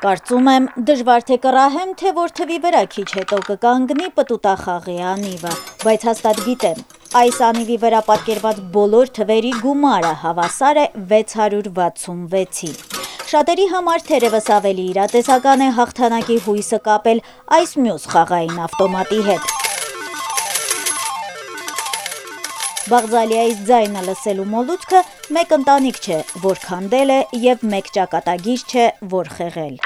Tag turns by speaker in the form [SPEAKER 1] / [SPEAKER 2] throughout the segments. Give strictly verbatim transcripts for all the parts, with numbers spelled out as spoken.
[SPEAKER 1] Կարծում եմ, դժվար թե կռահեմ, թե որ թվի վրա քիչ հետո կկանգնի պտուտախաղի անիվը, բայց հաստատ գիտեմ, այս անիվի վրա պատկերված բոլոր թվերի գումարը հավասար է վեց հարյուր վաթսունվեցի։ Շատերի համար թերևս ավելի իրատեսական է հաղթանակի հույսը կապել այս մյուս խաղային ավտոմատի հետ։ Բաղձալիայից ձայնը լսելու մոլուցքը մեկ ընտանիք չէ, որ քանդել է և մեկ ճակատագիր չէ, որ խեղել։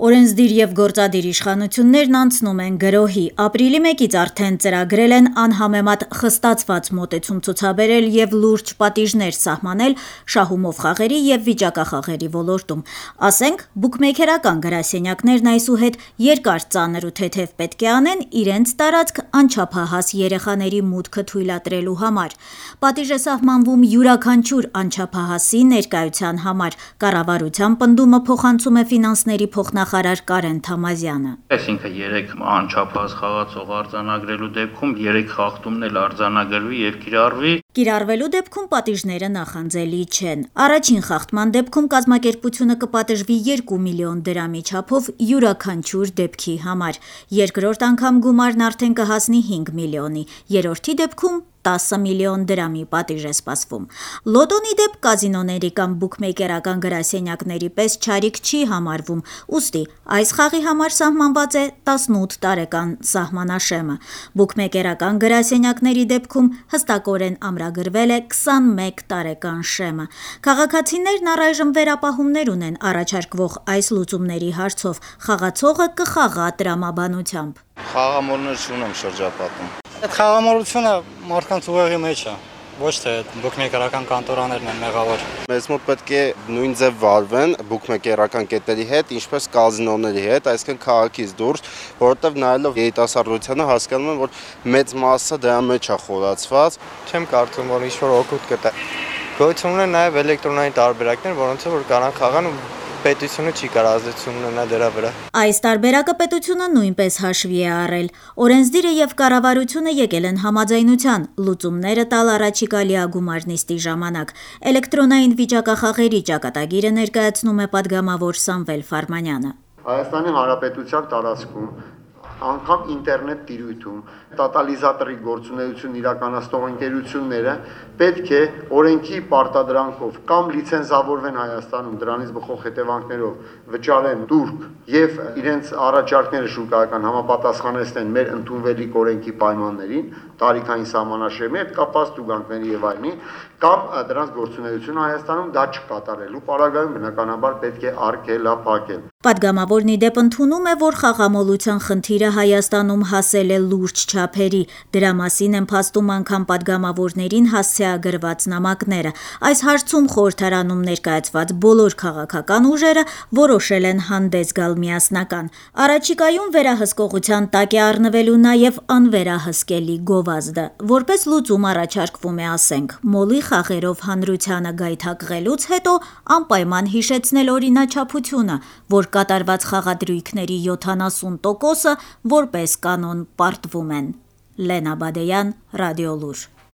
[SPEAKER 1] Օրենսդիր և գործադիր իշխանություններն անցնում են գրոհի, ապրիլի մեկից արդեն ծրագրել են անհամեմատ խստացված մոտեցում ցուցաբերել և լուրջ պատիժներ սահմանել շահումով խաղերի և վիճակախաղերի ոլորտում։ Ասենք, բուքմեյքերական գրասենյակներն այսուհետ երկար ծանր ու թեթև պետք է անեն իրենց տարածք անչափահաս երեխաների մուտքը թույլատրելու համար։ Պատիժ է սահմանվում յուրաքանչյուր անչափահասի ներկայության համար, կառավարության պնդումը փոխանցում է ֆինանսների փոխնախարար Կարեն Թամազյանը։
[SPEAKER 2] Այսինքն երեք անչափահաս խաղացող արձանագրելու դեպքում երեք խախտումն էլ արձանագրվի և կիրառվի։
[SPEAKER 1] Կիրառվելու դեպքում պատիժները նախանձելի չեն։ Առաջին խախտման դեպքում կազմակերպությունը կպատժվի երկու միլիոն դրամի չափով յուրաքանչյուր դեպքի համար։ Երկրորդ անգամ գումարն արդեն կհասնի հինգ միլիոնի, երրորդի դեպքում տասը միլիոն դրամի պատիժ է սպասվում։ Լոտոնի դեպ կազինոների կամ բուքմեյքերական գրասենյակների պես չարիք չի համարվում, ուստի այս խաղի համար սահմանված է տասնութ տարեկան սահմանաշեմը։ Բուքմեյքերական գրասենյակների դեպքում հստակորեն ամրագրվել է քսանմեկ տարեկան շեմը։ Քաղաքացիներն առայժմ վերապահումներ ունեն առաջարկվող այս լուծումների հարցով, խաղացողը կխաղա տրամաբանությամբ։
[SPEAKER 3] Խաղամոլներ չունեմ շրջապատում։
[SPEAKER 4] Այդ խաղամոլությունը մարդկանց ուղեղի մեջ է, ոչ թե բուքմեյքերական կանտորաներն են մեղավոր։
[SPEAKER 3] Մեզ մոտ պետք է նույն ձև վարվեն բուքմեյքերական կետերի հետ, ինչպես կազինոների հետ, այսինքն քաղաքից դուրս, որովհետև նայելով երիտասարդությանը հասկանում եմ, որ մեծ մասը դրա մեջ է խորացված։
[SPEAKER 4] Չեմ կարծում, որ ինչ-որ օգուտ կտա։ Գոյություն ունեն նաև էլեկտրոնային տարբերակներ, որոնց որ կարան խաղան ու պետությունը չի կարող ազդեցություն ունենալ դրա վրա։
[SPEAKER 1] Այս տարբերակը պետությունը նույնպես հաշվի է առել։ Օրենսդիրը և կառավարությունը եկել են համաձայնության լուծումները տալ առաջիկա լիագումար նիստի ժամանակ։ Էլեկտրոնային վիճակախաղերի ճակատագիրը ներկայացնում է պատգամավոր Սամվել Ֆարմանյանը։
[SPEAKER 5] Հայաստանի Հանրապետության տարածքում անգամ ինտերնետ տիրույթում տոտալիզատորի գործունեություն իրականացնող ընկերությունները պետք է օրենքի պարտադրանքով կամ լիցենզավորվեն Հայաստանում, դրանից բխող հետևանքներով վճարեն տուրք եւ իրենց առաջարկները շուկայական համապատասխանեցնեն մեր ընդունվելիք օրենքի պայմաններին, տարիքային սահմանաշեմի հետ կապված տուգանքների եւ այլնի, կամ դրանց գործունեությունը Հայաստանում դա չկատարելու պարագայում բնականաբար պետք է արգելափակել։
[SPEAKER 1] Պատգամավորն ի դեպ ընդունում է, որ խաղամոլության խնդիրը Հայաստանում հասել է լուրջ չափերի։ Դրա մասին են փաստում անգամ պատգամավորներին հասցեագրված նամակները։ Այս հարցում խորհրդարանում ներկայացված բոլոր քաղաքական ուժերը որոշել են հանդես գալ միասնական։ Առաջիկայում վերահսկողության տակ է առնվելու նաև անվերահսկելի գովազդը։ Որպես լուծում առաջարկվում է, ասենք, մոլի խաղերով հանրությանը գայթակղելուց հետո անպայման հիշեցնել օրինաչափությունը, որ կատարված խաղադրույքների յոթանասուն տոկոսը որպես կանոն պարտվում են։ Լենա Բադեյան, Ռադիոլուր։